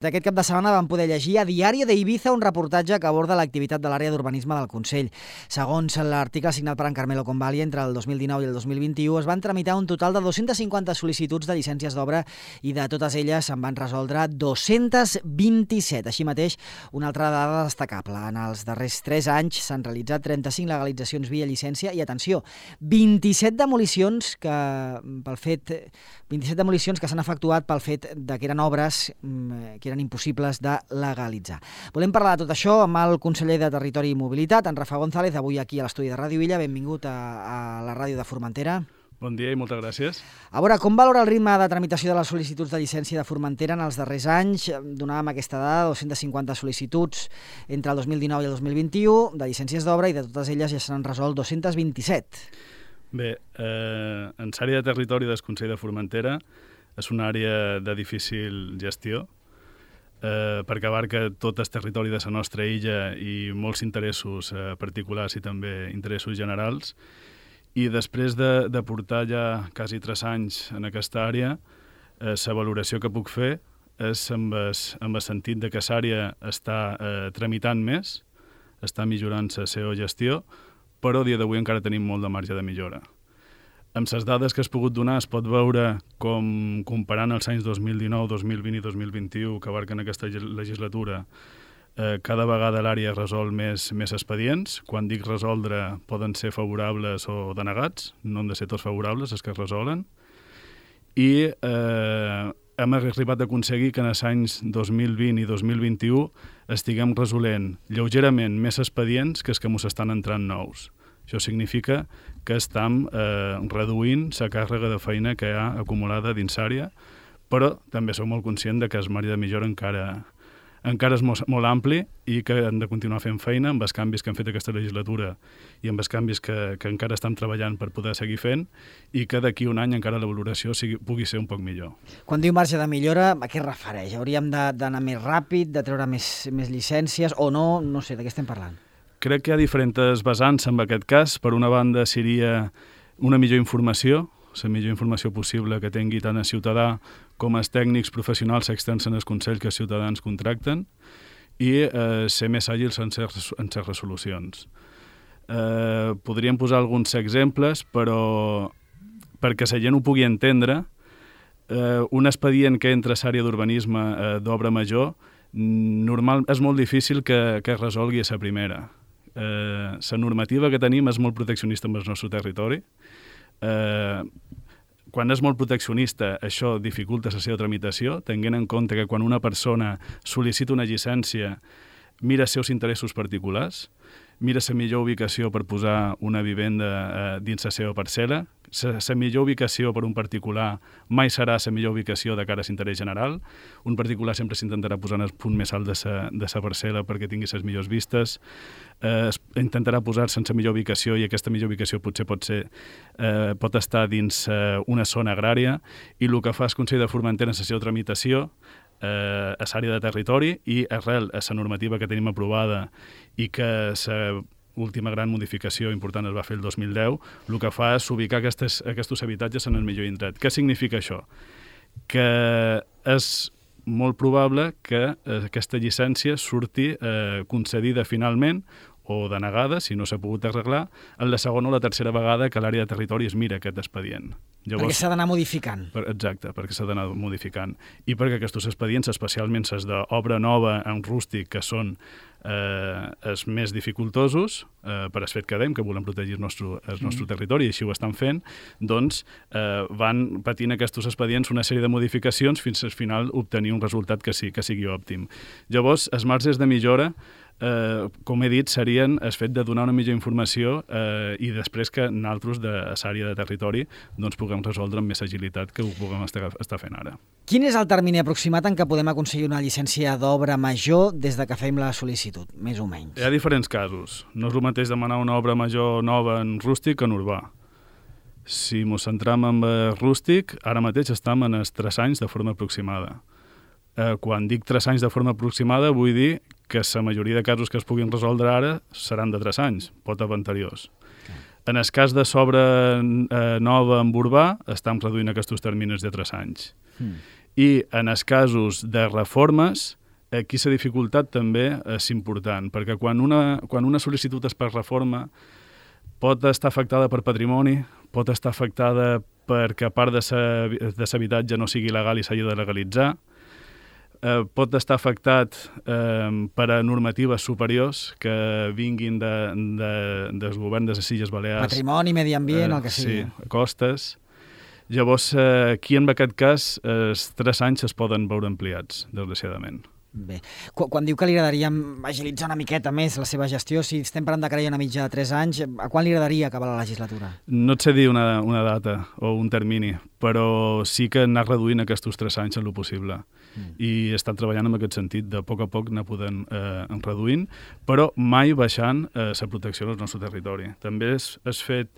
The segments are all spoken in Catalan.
Aquest cap de setmana vam poder llegir a Diario de Ibiza un reportatge que aborda l'activitat de l'àrea d'urbanisme del Consell. Segons l'article signat per en Carmelo Convalli, entre el 2019 i el 2021 es van tramitar un total de 250 sol·licituds de llicències d'obra i de totes elles se'n van resoldre 227. Així mateix, una altra dada destacable. En els darrers 3 anys s'han realitzat 35 legalitzacions via llicència i, atenció, 27 demolicions que s'han efectuat pel fet que eren obres que eren impossibles de legalitzar. Volem parlar de tot això amb el conseller de Territori i Mobilitat, en Rafa González, avui aquí a l'estudi de Ràdio Illa. Benvingut a la ràdio de Formentera. Bon dia i moltes gràcies. A veure, com valora el ritme de tramitació de les sol·licituds de llicència de Formentera en els darrers anys? Donàvem aquesta dada, 250 sol·licituds entre el 2019 i el 2021 de llicències d'obra i de totes elles ja s'han resolt 227. Bé, en l'àrea de territori del Consell de Formentera és una àrea de difícil gestió, perquè abarca tot el territori de la nostra illa i molts interessos particulars i també interessos generals. I després de portar ja quasi 3 anys en aquesta àrea, la valoració que puc fer és amb el sentit de que l'àrea està tramitant més, està millorant la seva gestió, però a dia d'avui encara tenim molt de marge de millora. Amb les dades que has pogut donar es pot veure com, comparant els anys 2019, 2020 i 2021 que abarquen aquesta legislatura, cada vegada l'àrea resol més expedients. Quan dic resoldre poden ser favorables o denegats, no han de ser tots favorables els que es resolen. I hem arribat a aconseguir que en els anys 2020 i 2021 estiguem resolent lleugerament més expedients que els que ens estan entrant nous. Això significa que estem reduint la càrrega de feina que hi ha acumulada dins l'àrea, però també som molt conscients que el marge de millora encara és molt ampli i que hem de continuar fent feina amb els canvis que hem fet aquesta legislatura i amb els canvis que encara estem treballant per poder seguir fent i que d'aquí un any encara la valoració pugui ser un poc millor. Quan diu marge de millora, a què es refereix? Hauríem d'anar més ràpid, de treure més llicències o no? No sé, de què estem parlant? Crec que hi ha diferents vessants en aquest cas. Per una banda seria una millor informació, la millor informació possible que tingui tant el ciutadà com els tècnics professionals externs en el Consell que els ciutadans contracten i ser més àgils en les resolucions. Podríem posar alguns exemples, però perquè la gent ho pugui entendre, un expedient que entra a l'àrea d'urbanisme d'obra major normal és molt difícil que es resolgui a la primera. La normativa que tenim és molt proteccionista amb el nostre territori. Quan és molt proteccionista, això dificulta la seva tramitació, tenint en compte que quan una persona sol·licita una llicència mira els seus interessos particulars, mira la millor ubicació per posar una vivenda dins la seva parcel·la. La millor ubicació per un particular mai serà la millor ubicació de cara a l'interès general. Un particular sempre s'intentarà posar en el punt més alt de la parcel·la perquè tingui les millors vistes. Intentarà posar-se en la millor ubicació i aquesta millor ubicació potser pot estar dins una zona agrària i el que fa el Consell de Formentera en la seva tramitació a l'àrea de territori i arrel a la normativa que tenim aprovada i que l'última gran modificació important es va fer el 2010, el que fa és ubicar aquests habitatges en el millor indret. Què significa això? Que és molt probable que aquesta llicència surti concedida finalment o denegada, si no s'ha pogut arreglar, en la segona o la tercera vegada que l'àrea de territori es mira aquest expedient. Perquè s'ha d'anar modificant. Exacte, perquè s'ha d'anar modificant. I perquè aquests expedients, especialment els d'obra nova en rústic, que són els més dificultosos, per el fet que dèiem que volem protegir el nostre territori i així ho estan fent, doncs van patint aquests expedients una sèrie de modificacions fins al final obtenir un resultat que sigui òptim. Llavors, els marges de millora, com he dit, serien el fet de donar una millor informació i després que nosaltres de l'àrea de territori doncs puguem resoldre amb més agilitat que ho puguem estar fent ara. Quin és el termini aproximat en què podem aconseguir una llicència d'obra major des de que fem la sol·licitud, més o menys? Hi ha diferents casos. No és el mateix demanar una obra major nova en rústic que en urbà. Si ens centram en rústic, ara mateix estem en els 3 anys de forma aproximada. Quan dic 3 anys de forma aproximada vull dir que la majoria de casos que es puguin resoldre ara seran de 3 anys, pot haver anteriors. En el cas de s'obra nova en urbà, estem reduint aquests terminis de 3 anys. I en els casos de reformes, aquí la dificultat també és important, perquè quan una sol·licitud és per reforma pot estar afectada per patrimoni, pot estar afectada perquè a part de l'habitatge no sigui legal i s'hagi de legalitzar, pot estar afectat per a normatives superiors que vinguin del govern de les Illes Balears. Patrimoni, medi ambient, el que sigui. Sí, costes. Llavors, aquí en aquest cas, els 3 anys es poden veure ampliats, desgraciadament. Bé, quan diu que li agradaria agilitzar una miqueta més la seva gestió, si estem parlant de que hi ha una mitja de 3 anys, a quan li agradaria acabar la legislatura? No et sé dir una data o un termini, però sí que anar reduint aquests 3 anys en lo possible. I he estat treballant en aquest sentit, de poc a poc anar podent reduint, però mai baixant la protecció del nostre territori. També has fet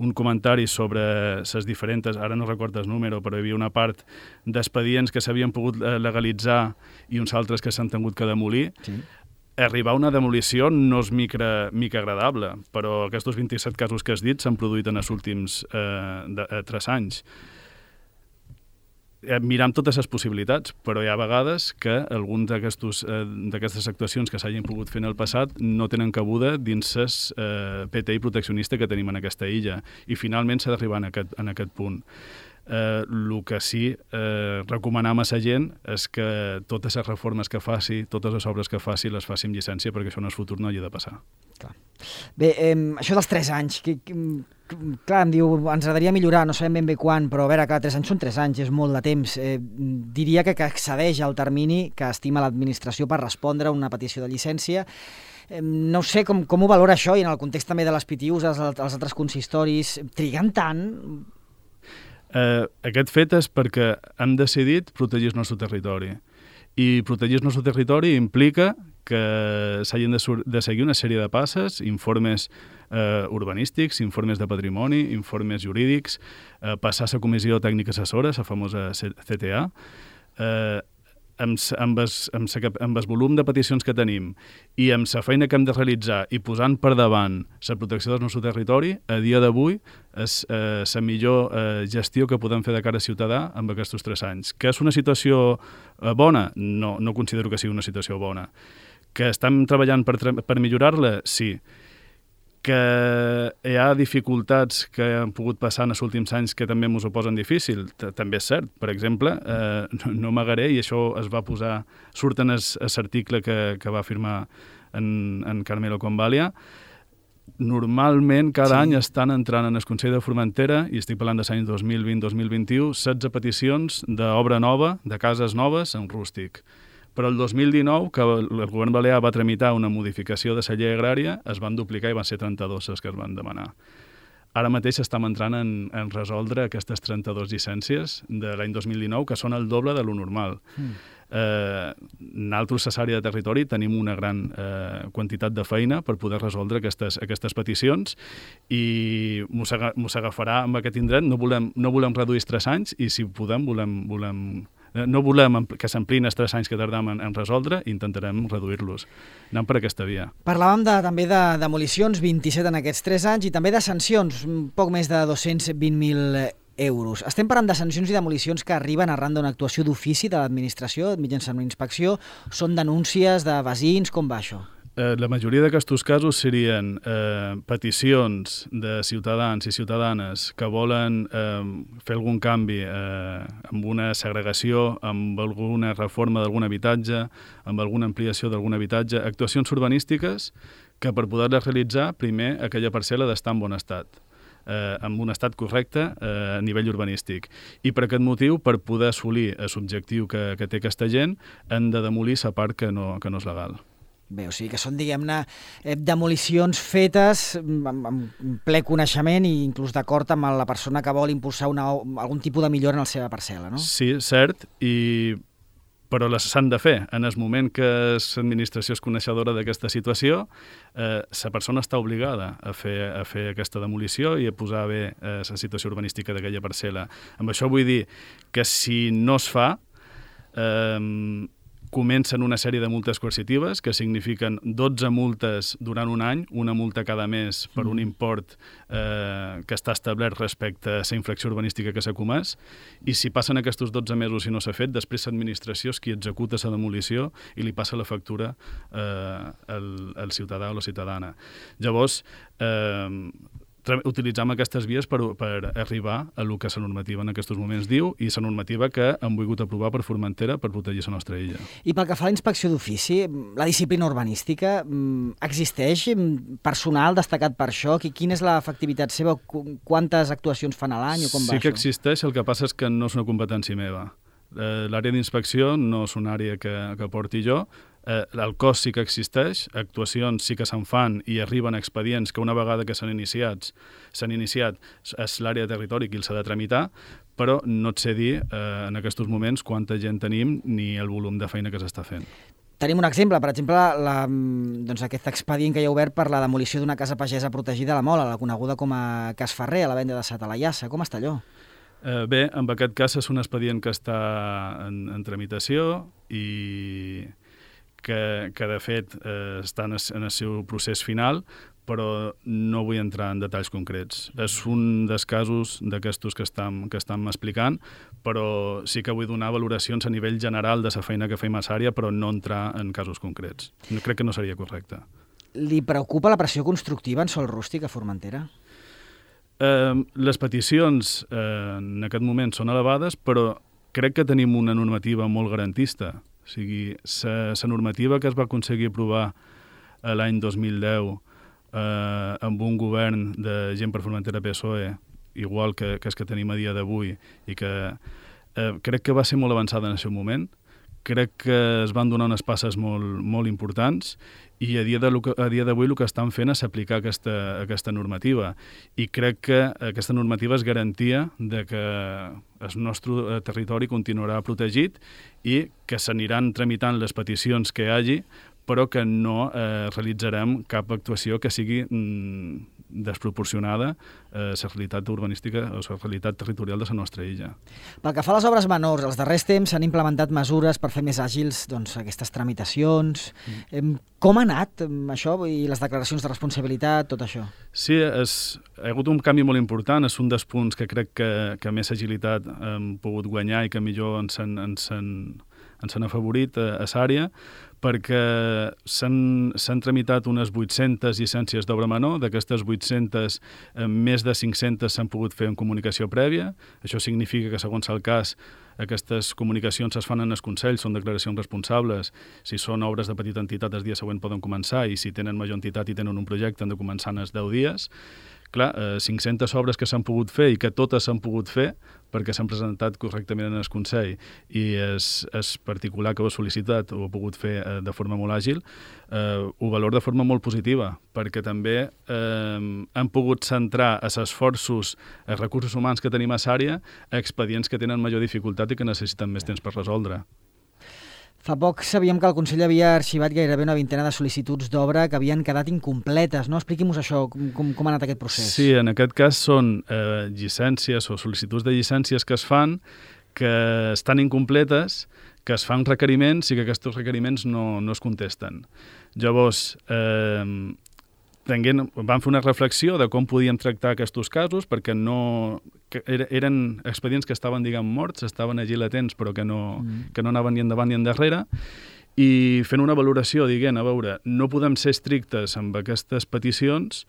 un comentari sobre les diferents, ara no recordo el número, però hi havia una part d'expedients que s'havien pogut legalitzar i uns altres que s'han tingut que demolir. Sí. Arribar a una demolició no és mica agradable, però aquests 27 casos que has dit s'han produït en els últims 3 anys. Mirem totes les possibilitats, però hi ha vegades que alguns d'aquestes actuacions que s'hagin pogut fer en el passat no tenen cabuda dins el PTI proteccionista que tenim en aquesta illa i finalment s'ha d'arribar en aquest punt. El que sí recomanem a la gent és que totes les reformes que faci, totes les obres que faci, les faci amb llicència perquè això en el futur no hagi de passar. Clar. Bé, això dels 3 anys, clar, em diu, ens agradaria millorar, no sabem ben bé quan, però a veure, clar, 3 anys són 3 anys, és molt de temps. Diria que excedeix el termini que estima l'administració per respondre a una petició de llicència. No sé com ho valora això i en el context també de les PTUs, els altres consistoris, triguen tant? Aquest fet és perquè hem decidit protegir el nostre territori. I protegir el nostre territori implica que s'hagin de seguir una sèrie de passes, informes urbanístics, informes de patrimoni, informes jurídics, passar a la comissió tècnica assessora, la famosa CTA, amb el volum de peticions que tenim i amb la feina que hem de realitzar i posant per davant la protecció del nostre territori, a dia d'avui és la millor gestió que podem fer de cara a ciutadà amb aquests 3 anys. Que és una situació bona? No considero que sigui una situació bona. Que estem treballant per millorar-la? Sí. Que hi ha dificultats que han pogut passar en els últims anys que també ens ho posen difícil, també és cert. Per exemple, no amagaré, i això es va posar, surt en l'article que va firmar en Carmelo Convalia, normalment cada any estan entrant en el Consell de Formentera, i estic parlant dels anys 2020-2021, 16 peticions d'obra nova, de cases noves en rústic. Però el 2019, que el govern balear va tramitar una modificació de la llei agrària, es van duplicar i van ser 32 les que es van demanar. Ara mateix estem entrant en resoldre aquestes 32 llicències de l'any 2019, que són el doble de lo normal. Nosaltres, a l'àrea de territori, tenim una gran quantitat de feina per poder resoldre aquestes peticions i mos agafarà amb aquest indret. No volem reduir els 3 anys i, si podem, no volem que s'ampliïn els 3 anys que tardam en resoldre i intentarem reduir-los. Anem per aquesta via. Parlàvem també de demolicions, 27 en aquests 3 anys, i també de sancions, poc més de 220.000 euros. Estem parlant de sancions i demolicions que arriben arran d'una actuació d'ofici de l'administració mitjançant una inspecció. Són denúncies de veïns? Com va això? La majoria d'aquests casos serien peticions de ciutadans i ciutadanes que volen fer algun canvi amb una segregació, amb alguna reforma d'algun habitatge, amb alguna ampliació d'algun habitatge, actuacions urbanístiques que per poder-les realitzar, primer aquella parcel·la d'estar en bon estat, amb un estat correcte a nivell urbanístic. I per aquest motiu, per poder assolir l'objectiu que té aquesta gent, han de demolir la part que no és legal. Bé, o sigui que són, diguem-ne, demolicions fetes amb ple coneixement i inclús d'acord amb la persona que vol impulsar algun tipus de millora en la seva parcel·la, no? Sí, cert, però les s'han de fer. En el moment que l'administració és coneixedora d'aquesta situació, la persona està obligada a fer aquesta demolició i a posar bé la situació urbanística d'aquella parcel·la. Amb això vull dir que si no es fa, comencen una sèrie de multes coercitives que signifiquen 12 multes durant un any, una multa cada mes per un import que està establert respecte a la infracció urbanística que s'ha comès, i si passen aquests 12 mesos i no s'ha fet, després l'administració és qui executa la demolició i li passa la factura al ciutadà o la ciutadana. Llavors, utilitzem aquestes vies per arribar a el que la normativa en aquests moments diu i la normativa que hem volgut aprovar per Formentera per protegir la nostra illa. I pel que fa a la inspecció d'ofici, la disciplina urbanística, existeix personal destacat per això? Quina és l'efectivitat seva? Quantes actuacions fan a l'any o com va això? Sí que existeix, el que passa és que no és una competència meva. L'àrea d'inspecció no és una àrea que porti jo. El cos sí que existeix, actuacions sí que se'n fan i arriben expedients que una vegada que s'han iniciat és l'àrea de territori qui els ha de tramitar, però no et sé dir en aquests moments quanta gent tenim ni el volum de feina que s'està fent. Tenim un exemple, per exemple, aquest expedient que hi ha obert per la demolició d'una casa pagesa protegida a la Mola, la coneguda com a Cas Ferrer, a la venda de Satalaiassa. Com està allò? Bé, en aquest cas és un expedient que està en tramitació i que de fet està en el seu procés final, però no vull entrar en detalls concrets. És un dels casos d'aquestos que estem explicant, però sí que vull donar valoracions a nivell general de la feina que fem a l'àrea, però no entrar en casos concrets. Crec que no seria correcte. Li preocupa la pressió constructiva en sòl rústic a Formentera? Les peticions en aquest moment són elevades, però crec que tenim una normativa molt garantista. O sigui, la normativa que es va aconseguir aprovar l'any 2010 amb un govern de gent per Formentera PSOE, igual que és que tenim a dia d'avui, i que crec que va ser molt avançada en el seu moment. Crec que es van donar unes passes molt importants i a dia d'avui el que estan fent és aplicar aquesta normativa. I crec que aquesta normativa és garantia de que el nostre territori continuarà protegit i que s'aniran tramitant les peticions que hi hagi, però que no realitzarem cap actuació que sigui desproporcionada a la realitat urbanística o la realitat territorial de la nostra illa. Pel que fa a les obres menors, els darrers temps s'han implementat mesures per fer més àgils aquestes tramitacions. Com ha anat això i les declaracions de responsabilitat, tot això? Sí, ha hagut un canvi molt important. És un dels punts que crec que més agilitat hem pogut guanyar i que millor ens han afavorit a l'àrea, perquè s'han tramitat unes 800 llicències d'obra menor. D'aquestes 800, més de 500 s'han pogut fer en comunicació prèvia. Això significa que, segons el cas, aquestes comunicacions es fan en el Consell, són declaracions responsables. Si són obres de petita entitat, el dia següent poden començar, i si tenen major entitat i tenen un projecte, han de començar en els 10 dies. Clar, 500 obres que s'han pogut fer i que totes s'han pogut fer perquè s'han presentat correctament en el Consell i és particular que ho ha sol·licitat o ha pogut fer de forma molt àgil, ho valor de forma molt positiva, perquè també han pogut centrar els esforços, els recursos humans que tenim a l'àrea, a expedients que tenen major dificultat i que necessiten més temps per resoldre. Fa poc sabíem que el Consell havia arxivat gairebé una vintena de sol·licituds d'obra que havien quedat incompletes, no? Expliqui'm-nos això, com ha anat aquest procés. Sí, en aquest cas són llicències o sol·licituds de llicències que es fan, que estan incompletes, que es fan requeriments i que aquests requeriments no es contesten. Llavors, vam fer una reflexió de com podíem tractar aquests casos, perquè eren expedients que estaven, morts, estaven allí latents, però que no anaven ni endavant ni endarrere, i fent una valoració, a veure, no podem ser estrictes amb aquestes peticions,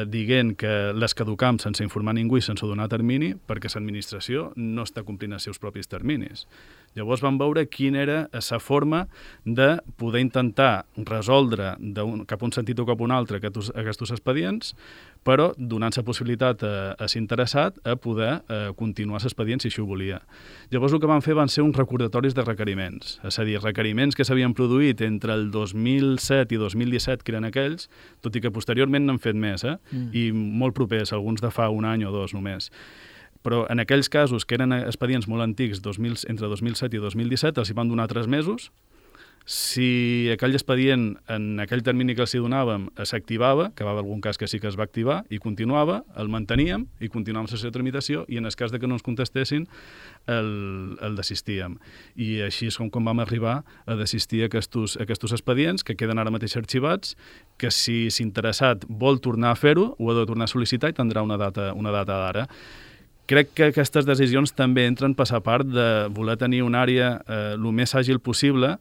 dient que les caducam sense informar ningú i sense donar termini, perquè l'administració no està complint els seus propis terminis. Llavors vam veure quina era la forma de poder intentar resoldre cap un sentit o cap un altre aquests expedients, però donant la possibilitat a l'interessat a poder continuar l'expedient si això ho volia. Llavors el que vam fer van ser uns recordatoris de requeriments, és a dir, requeriments que s'havien produït entre el 2007 i 2017, que eren aquells, tot i que posteriorment n'han fet més, i molt propers, alguns de fa un any o dos només. Però en aquells casos que eren expedients molt antics, entre 2007 i 2017, els hi van donar 3 mesos, Si aquell expedient, en aquell termini que els donàvem, s'activava, que va haver algun cas que sí que es va activar, i continuava, el manteníem i continuàvem la sessió de tramitació, i en el cas de que no ens contestessin, el desistíem. I així és com vam arribar a desistir aquests expedients, que queden ara mateix arxivats, que si l'interessat vol tornar a fer-ho, ho ha de tornar a sol·licitar i tindrà una data d'ara. Crec que aquestes decisions també entren per la part de voler tenir una àrea el més àgil possible.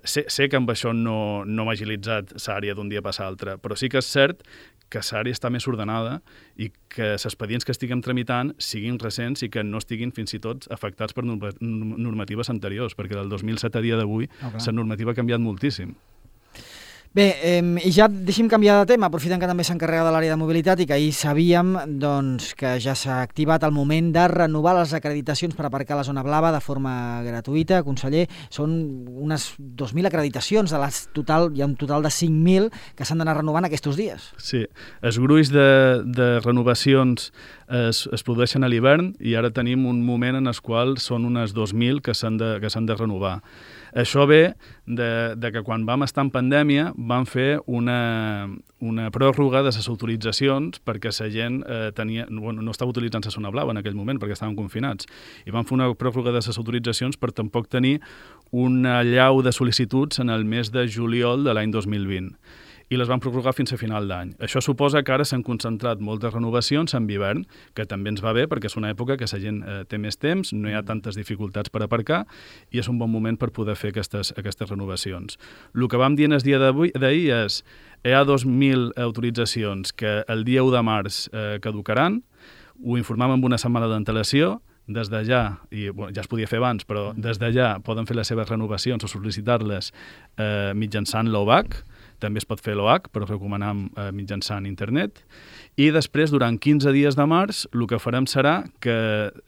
Sé que amb això no hem agilitzat l'àrea d'un dia per l'altre, però sí que és cert que l'àrea està més ordenada i que els expedients que estiguem tramitant siguin recents i que no estiguin fins i tot afectats per normatives anteriors, perquè del 2007 a dia d'avui la normativa ha canviat moltíssim. Bé, i ja deixem canviar de tema, aprofitant que també s'encarrega de l'àrea de mobilitat i que ahir sabíem que ja s'ha activat el moment de renovar les acreditacions per aparcar a la zona blava de forma gratuïta. Conseller, són unes 2.000 acreditacions, hi ha un total de 5.000 que s'han d'anar renovant aquests dies. Sí, els gruix de renovacions es produeixen a l'hivern i ara tenim un moment en el qual són unes 2.000 que s'han de renovar. Això ve de que quan vam estar en pandèmia vam fer una pròrroga de les autoritzacions perquè la gent no estava utilitzant la zona blava en aquell moment perquè estaven confinats. I vam fer una pròrroga de les autoritzacions per tampoc tenir una allau de sol·licituds en el mes de juliol de l'any 2020. I les van prorrogar fins a final d'any. Això suposa que ara s'han concentrat moltes renovacions en hivern, que també ens va bé perquè és una època que la gent té més temps, no hi ha tantes dificultats per aparcar i és un bon moment per poder fer aquestes renovacions. El que vam dir en el dia d'ahir és hi ha 2.000 autoritzacions que el dia 1 de març caducaran, ho informàvem amb una setmana d'antelació, des d'allà, i ja es podia fer abans, però des d'allà poden fer les seves renovacions o sol·licitar-les mitjançant l'OVAC. També es pot fer l'OH, però recomanem mitjançant internet. I després, durant 15 dies de març, el que farem serà que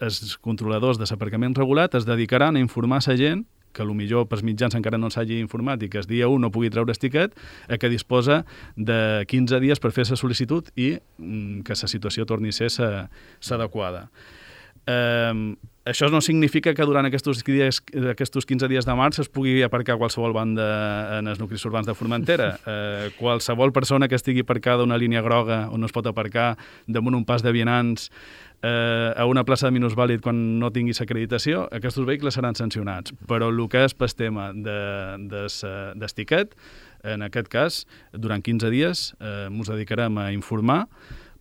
els controladors de l'aparcament regulat es dedicaran a informar la gent que potser pels mitjans encara no s'hagi informat i que el dia 1 no pugui treure el tiquet, que disposa de 15 dies per fer la sol·licitud i que la situació torni a ser l'adequada. Això no significa que durant aquests 15 dies de març es pugui aparcar a qualsevol banda en els nuclis urbans de Formentera. Qualsevol persona que estigui aparcada a una línia groga on no es pot aparcar damunt un pas de vianants a una plaça de minusvàlid quan no tingui l'acreditació, aquests vehicles seran sancionats. Però el que és pel tema del tiquet, en aquest cas, durant 15 dies ens dedicarem a informar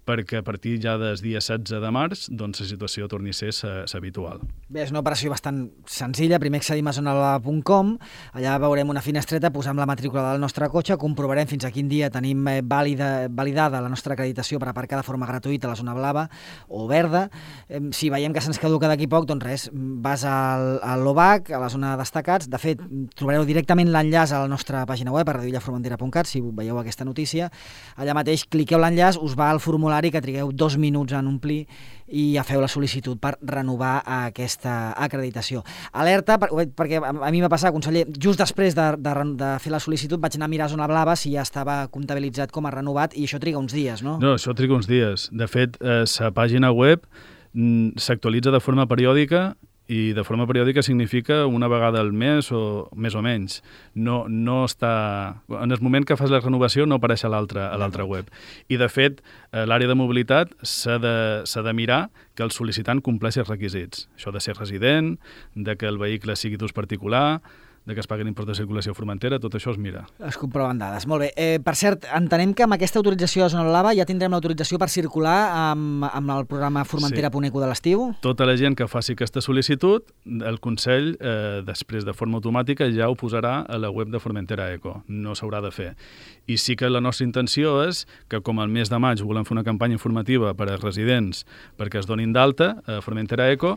perquè a partir ja del dia 16 de març doncs la situació torni a ser l'habitual. Bé, és una operació bastant senzilla. Primer accedim a zonablava.com, allà veurem una finestreta, posem la matrícula del nostre cotxe, comprovarem fins a quin dia tenim validada la nostra acreditació per aparcar de forma gratuïta a la zona blava o verda. Si veiem que se'ns caduca d'aquí poc, doncs res, vas a l'OVAC, a la zona de destacats. De fet, trobareu directament l'enllaç a la nostra pàgina web, a radioillaformentera.cat, si veieu aquesta notícia. Allà mateix cliqueu l'enllaç, us va al formulari que trigueu 2 minuts en omplir i ja feu la sol·licitud per renovar aquesta acreditació. Alerta, perquè a mi m'ha passat, conseller, just després de fer la sol·licitud vaig anar a mirar zona blava si ja estava comptabilitzat com a renovat i això triga uns dies, no? No, això triga uns dies. De fet, la pàgina web s'actualitza de forma periòdica i de forma periòdica significa una vegada al mes o més o menys. No està... En el moment que fas la renovació no apareix a l'altra web. I, de fet, l'àrea de mobilitat s'ha de mirar que el sol·licitant compleixi els requisits. Això ha de ser resident, de que el vehicle sigui d'ús particular, de que es paguen impost de circulació a Formentera, tot això es mira. Es comproven dades. Molt bé. Per cert, entenem que amb aquesta autorització de zona blava ja tindrem l'autorització per circular amb el programa Formentera.eco de l'estiu? Tota la gent que faci aquesta sol·licitud, el Consell, després de forma automàtica, ja ho posarà a la web de Formentera.eco. No s'haurà de fer. I sí que la nostra intenció és que, com al mes de maig volem fer una campanya informativa per als residents perquè es donin d'alta a Formentera.eco,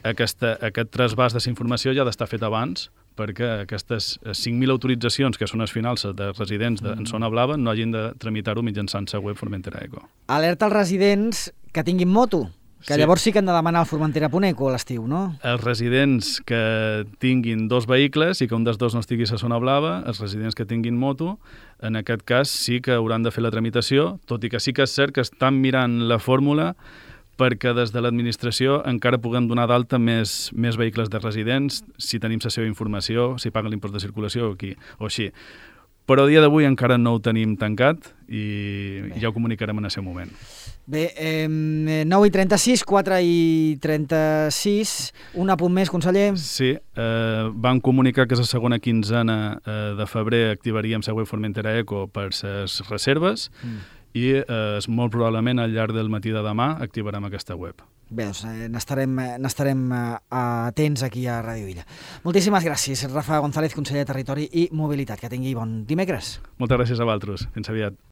aquest trasbàs de la informació ja ha d'estar fet abans perquè aquestes 5.000 autoritzacions, que són les finals de residents en zona blava, no hagin de tramitar-ho mitjançant la web Formentera.eco. Alerta als residents que tinguin moto, que llavors sí que han de demanar el Formentera.eco a l'estiu, no? Els residents que tinguin 2 vehicles i que un dels 2 no estigui a zona blava, els residents que tinguin moto, en aquest cas sí que hauran de fer la tramitació, tot i que sí que és cert que estan mirant la fórmula perquè des de l'administració encara puguem donar d'alta més vehicles de residents, si tenim la seva informació, si paguen l'impost de circulació o així. Però a dia d'avui encara no ho tenim tancat i ja ho comunicarem en el seu moment. Bé, 9:36, 4:36, un apunt més, conseller. Sí, van comunicar que la segona quinzena de febrer activaríem la web Formentera Eco per les reserves i molt probablement al llarg del matí de demà activarem aquesta web. Bé, doncs n'estarem atents aquí a Ràdio Illa. Moltíssimes gràcies, Rafa González, conseller de Territori i Mobilitat. Que tingui bon dimecres. Moltes gràcies a vosaltres. Fins aviat.